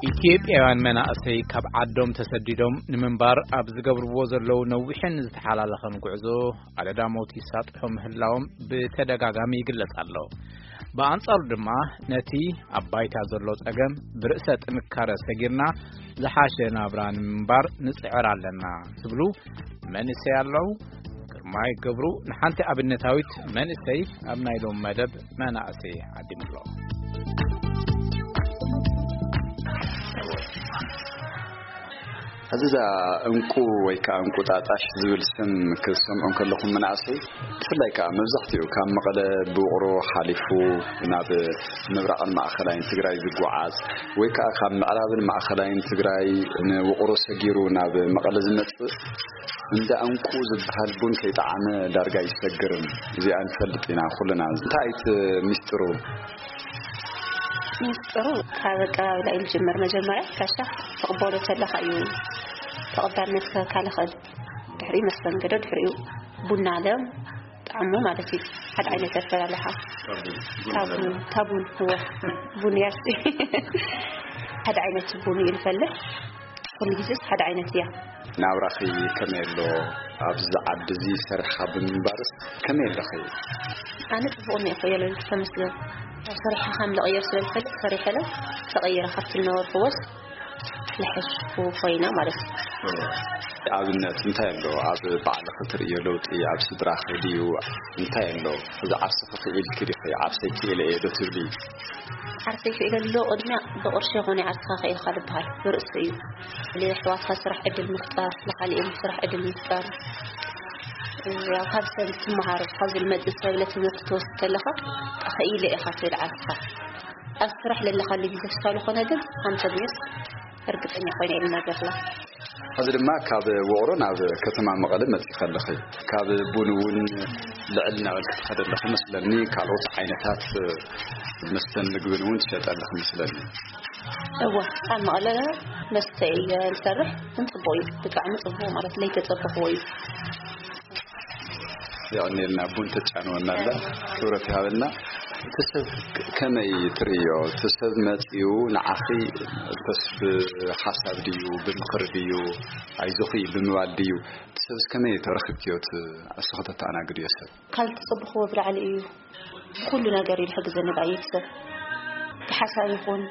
ኢትዮጵያውያን መናእሰይ ካብ ዓዶም ተሰዲዶም ንምንባር ኣብ ዝገብርዎ ዘለዉ ነዊሕን ዝተሓላለኸን ጉዕዞ ኣደዳ ሞት ይሳጥሑ ምህላዎም ብተደጋጋሚ ይግለጽ ኣሎ። ብኣንጻሩ ድማ ነቲ ኣብ ባይታ ዘሎ ጸገም ብርእሰ ጥንካረ ሰጊርና ዝሓሸ ናብራ ንምንባር ንጽዕር ኣለና ዝብሉ መንእሰይ ኣለዉ። ግርማይ ገብሩ ንሓንቲ ኣብነታዊት መንእሰይ ኣብ ናይ ሎም መደብ መናእሰይ ዓዲሙ ኣሎ። ሕዚ እዛ እንቁ ወይ ከዓ እንቁጣጣሽ ዝብል ስም ክትሰምዑ እንከለኹም መናእሰይ፣ ብፍላይ ከዓ መብዛሕትኡ ካብ መቐለ ብውቕሮ ሓሊፉ ናብ ምብራቕን ማእኸላይን ትግራይ ዝጓዓዝ ወይ ከዓ ካብ ምዕራብን ማእኸላይን ትግራይ ንውቕሮ ሰጊሩ ናብ መቐለ ዝመጽእ፣ እንዳ እንቁ ዝበሃል ቡን ከይጠዓመ ዳርጋ ይሰግርን። እዚኣ ንፈልጥ ኢና ኩልና። እንታይ እቲ ሚስጥሩ? ሚስጥሩ ካብ ኣቀባብላ እዩ ዝጅምር። መጀመርያ ካሻ ትቕበሎ ተለኻ እዩ ተቐባልነት ክህበካ ዝኽእል። ድሕሪኡ መስተንግዶ፣ ድሕሪኡ ቡና ኣለ ጣዕሙ ማለት እዩ። ሓደ ዓይነት ኣፈላልሓ። ታቡን፣ ታቡን፣ እወ፣ ቡን ያስ። ሓደ ዓይነት ቡን እዩ ዝፈልሕ። ኩሉ ግዜስ ሓደ ዓይነት እያ። ናብራኺ ከመይ ኣሎ? ኣብዚ ዓዲ እዚ ሰሪሕኻ ብምንባርስ ከመይ ኣለኺ? ኣነ ጽቡቕ እኒኤ እኮ እየ ልብል፣ ተመስገን። ኣብ ስራሕኻ ከም ልቕየር ስለ ዝፈልጥ ሰሪሐ ለ ተቐይረ ካብቲ ዝነበርኩዎስ ልሕሽ ኮይና ማለት እዩ። ኣብነት እንታይ ኣሎ? ኣብ ባዕልኺ ትርእዮ ለውጢ ኣብ ስድራኺ ድዩ? እንታይ ኣሎ? እዚ ዓርስኺ ክኢልኪ ዲኺ? ዓርሰይ ክኢለ እየ ዶ ትብሊ? ዓርሰይ ክኢለ ኣሎ ቅድሚያ ብቕርሺ ይኹን ዓርስኻ ክኢልካ ዝበሃል ብርእሲ እዩ። ለየሕዋትካ ስራሕ ዕድል ምፍጣር፣ ለኻሊኦም ስራሕ ዕድል ምፍጣር፣ ያው ካብ ሰብ ትመሃር፣ ካብዚ ዝመጽእ ሰብ ለትምህርቲ ትወስድ ከለኻ ክኢለ ኢኻ ትብል ዓርስኻ። ኣብ ስራሕ ለለኻሉ ግዜ ክሳብ ዝኾነ ግን ኣንተ ብንስ እርግጠኛ ኮይነ ኢልና ገርላ። ሕዚ ድማ ካብ ውቕሮ ናብ ከተማ መቐለ መጺኻ ኣለኺ። ካብ ቡን እውን ልዕል ናበል ክትኸደ ኣለኺ መስለኒ። ካልኦት ዓይነታት መስተን ምግብን እውን ትሸጠ ኣለኺ መስለኒ። እወ፣ ኣብ መቐለ መስተ እየ ዝሰርሕ። ግን ጽቡቕ እዩ፣ ብጣዕሚ ጽቡቕ ማለት ለይተጸበኽዎ እዩ። የቐንየልና፣ ቡን ተጫንወና ኣላ። ክብረት ይሃበልና። እቲ ሰብ ከመይ ትርእዮ? እቲ ሰብ መጺኡ ንዓኺ እንተስ ብሓሳብ ድዩ፣ ብምኽሪ ድዩ፣ ኣይዞኺ ብምባል ድዩ? እቲ ሰብስ ከመይ ተረኺብክዮ? እቲ እሱ ከተተኣናግድዮ ሰብ? ካብ ዝተጸበኽዎ ብላዕሊ እዩ። ብኹሉ ነገር እዩ ዝሕግዘኒ ብኣየት ሰብ። ብሓሳብ ይኹን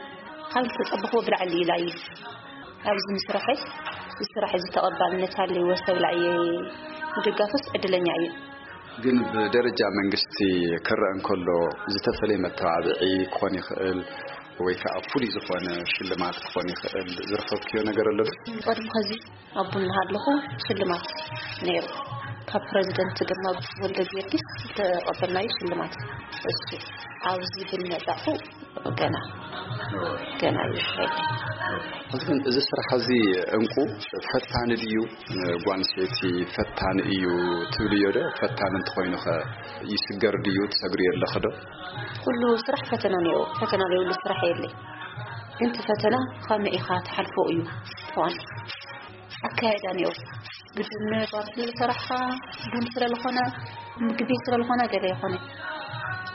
ካብ ዝተጸበኽዎ ብላዕሊ እዩ ላዩ። ኣብዚ ምስራሐይ፣ እዚ ስራሕ እዚ ተቐባልነት ሃልይዎ ሰብ ላየ ምድጋፍስ ዕድለኛ እዩ። ግን ብደረጃ መንግስቲ ክረአ እንከሎ ዝተፈለየ መተባብዒ ክኾን ይኽእል ወይ ከዓ ፍሉይ ዝኾነ ሽልማት ክኾን ይኽእል ዝረኸብክዮ ነገር ኣሎ ዶ? ቅድሚ ኸዚ ኣብ ቡን እናሃለኹ ሽልማት ነይሩ። ካብ ፕረዚደንት ግርማ ወልደ ጊዮርጊስ ዝተቐበልናዮ ሽልማት እሱ ኣብዚ ቡን መጻኹ ገና፣ ገና እዩ። ሕዚ ግን እዚ ስራሕ እዚ እንቁ ፈታኒ ድዩ? ጓል ኣንስተይቲ ፈታኒ እዩ ትብልዮ ዶ? ፈታኒ እንተኾይኑ ኸ ይስገር ድዩ? ትሰግሪ ኣለኺ ዶ? ኩሉ ስራሕ ፈተና ነይሩ። ፈተና ዘይብሉ ስራሕ የለይ። ግን እቲ ፈተና ከመይ ኢኻ ትሓልፎ እዩ ዋና። ኣካያይዳ ነይሩ። ግድን ባር ስለ ዝሰራሕኻ፣ ቡን ስለ ዝኾነ፣ ምግቢ ስለ ዝኾነ ገለ ይኾነ።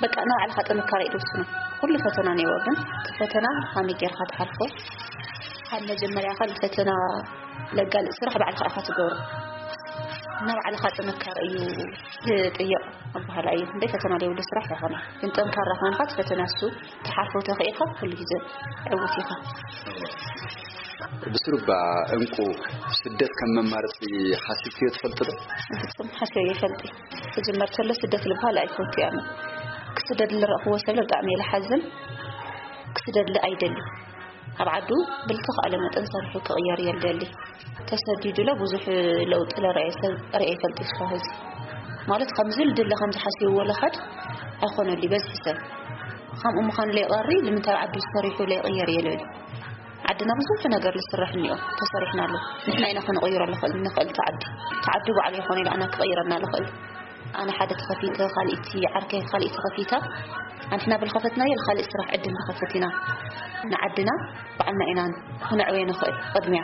በቃ ንባዕልኻ ጥንካረ እዩ ዝውስኖ። ኩሉ ፈተና ነይሩ፣ ግን እቲ ፈተና ከመይ ጌርካ ትሓልፎ? ካብ መጀመርያ ካብ ፈተና ለጋልእ ስራሕ ባዕልኻ ኢኻ ትገብሮ። ንባዕልኻ ጥንካረ እዩ ዝጥየቕ። ኣበሃላይ እንደ ፈተና ዘይብሉ ስራሕ ኣይኮነ። ግን ጠንካራ ኮይንካ እቲ ፈተና እሱ ትሓልፎ ተኽኢልካ ኩሉ ግዜ ዕውት ኢኻ። ብስሩባ እንቁ ስደት ከም መማረፂ ሓሲብክዮ ትፈልጥ ዶ? ፍጹም ሓሲበ ይፈልጥ። ክጅመር ከሎ ስደት ልበሃል ኣይፈቱ እየ ኣነ። ክስደድ ዝረእኽዎ ሰብ ብጣዕሚ እየ ዝሓዝን። ክስደድ ኣይደሊ። ኣብ ዓዱ ብልተኻእለ መጠን ሰሪሑ ክቕየር እየ ዝደሊ። ተሰዲዱ ለ ብዙሕ ለውጢ ለረኣየ ሰብ ርኤ ይፈልጥ እስካብ ሕዚ። ማለት ከምዚ ልድለ ከምዚ ሓሲብዎ ለኻድ ኣይኮነሉ በዝሒ ሰብ። ከምኡ ምዃኑ ለይቐሪ ልምንታይ ኣብ ዓዱ ዝሰሪሑ ለይቕየር እየ ልብል። ዓድና ብዙሕ ነገር ዝስራሕ እኒኦ፣ ተሰሪሕናሉ። ንሕና ኢና ክንቕይሮ ንኽእል፣ ንኽእል እቲ ዓዲ። እቲ ዓዲ ባዕሉ ይኾነ ኢሉ ኣና ክቕይረና ልኽእል። ኣነ ሓደ ተኸፊተ፣ ካልእቲ ዓርከይ ካልእቲ ተኸፊታ። ኣንሕና ብልኸፈትናዮ ልኻልእ ስራሕ ዕድል ንኸፍት ኢና። ንዓድና ባዕልና ኢና ክነዕወዮ ንኽእል ቅድሚያ።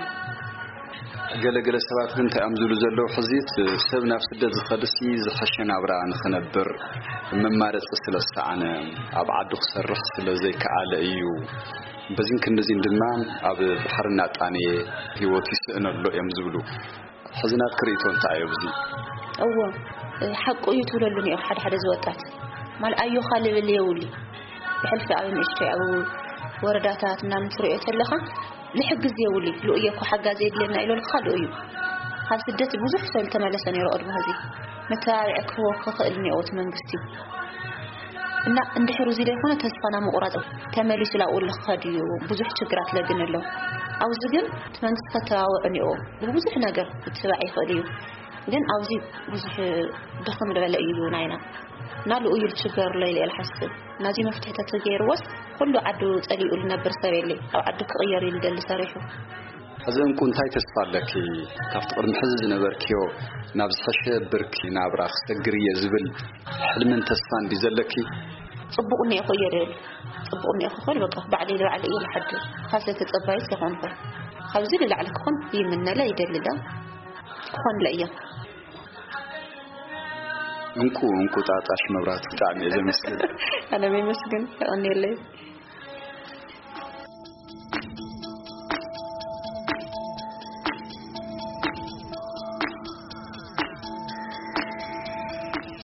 ገለገለ ሰባት ግን እንታይ እዮም ዝብሉ ዘለዉ? ሕዚ እቲ ሰብ ናብ ስደት ዝኸድሲ ዝሐሸ ናብራ ንኽነብር መማረፂ ስለ ዝሰኣነ፣ ኣብ ዓዱ ክሰርሕ ስለ ዘይከኣለ እዩ። በዚን ክንድዚን ድማ ኣብ ባሕሪ እናጣነየ ህይወቱ ይስእነሎ እዮም ዝብሉ። ሕዚ ናትኪ ርእይቶ እንታይ እዩ ኣብዚ? እዎ፣ ሓቁ እዩ ትብለሉ እኒኦ። ሓደ ሓደ ዝወጣት ማል ኣዮኻ ልብል የውሊ ብሕልፊ ኣብ ንእሽተይ ኣብ ወረዳታት ምናምን ትሪኦ ተለኻ ልሕግዝ የውሊ። ልኡየ እኮ ሓጋዚ የድልየና ኢሎልካ ልኡዩ። ካብ ስደት ብዙሕ ሰብ ዝተመለሰ ነይሩ ቅድሚ ሕዚ። መተባብዒ ክህቦ ክኽእል እኒኦ እቲ መንግስቲ። እና እንድሕር እዚ ዘይኮነ ተስፋና ምቑራፅ፣ ተመሊሱ ላብኡ ልኽኸድ እዩ። ብዙሕ ችግራት ለግን ኣሎ። ኣብዚ ግን እቲ መንግስቲ ከተባብዖ እኒኦ። ብብዙሕ ነገር ክትባዕ ይኽእል እዩ። ግን ኣብዚ ብዙሕ ድኽም ዝበለ እዩ ናይና። እና ልኡዩ ችገር ኣሎ ኢለ እየ ዝሓስብ። ናዚ መፍትሒ ተተገይርዎስ ኩሉ ዓዱ ጸሊኡ ልነብር ሰብ የለ። ኣብ ዓዱ ክቕየር እዩ ልደሊ ሰሪሑ። ሕዚ እንቁ እንታይ ተስፋ ኣለኪ? ካብቲ ቅድሚ ሕዚ ዝነበርክዮ ናብ ዝሐሸ ብርኪ ናብራ ክሰግር እየ ዝብል ሕልምን ተስፋን ድዩ ዘለኪ? ጽቡቕ እኒኦ እኮ እየ ልብል። ጽቡቕ እኒኦ ክኾን በቃ ባዕለይ ልባዕለ እየ ልሓድር። ካብ ዝተጸባዩት ይኾንኩ። ካብዚ ልላዕሊ ክኾን ይምነለ ይደልለ። ክኾንለ እየ። እንቁ እንቁጣጣሽ መብራት ብጣዕሚ እየ ዘመስግን። ኣነ የመስግን። የቐንየለይ።